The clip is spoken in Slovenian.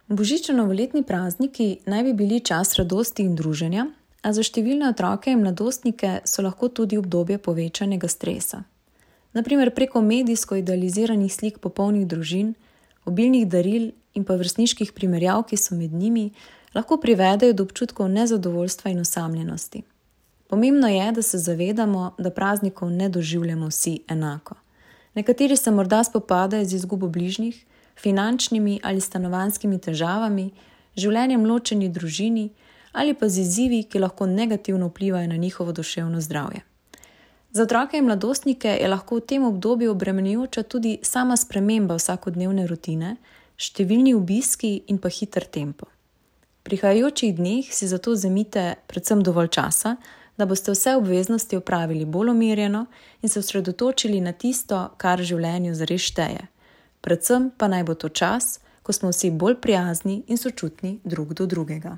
Božično-novoletni prazniki naj bi bili čas radosti in druženja, a za številne otroke in mladostnike so lahko tudi obdobje povečanega stresa. Naprimer preko medijsko idealiziranih slik popolnih družin, obilnih daril in pa vrstniških primerjav, ki so med njimi, lahko privedejo do občutkov nezadovoljstva in osamljenosti. Pomembno je, da se zavedamo, da praznikov ne doživljamo vsi enako. Nekateri se morda spopadajo z izgubo bližnjih, finančnimi ali stanovanjskimi težavami, življenjem ločeni družini ali pa z izzivi, ki lahko negativno vplivajo na njihovo duševno zdravje. Za otroke in mladostnike je lahko v tem obdobju obremenjujoča tudi sama sprememba vsakodnevne rutine, številni obiski in pa hiter tempo. V prihajajočih dneh si zato vzemite predvsem dovolj časa, da boste vse obveznosti opravili bolj umirjeno in se osredotočili na tisto, kar v življenju zares šteje. Predvsem pa naj bo to čas, ko smo vsi bolj prijazni in sočutni drug do drugega.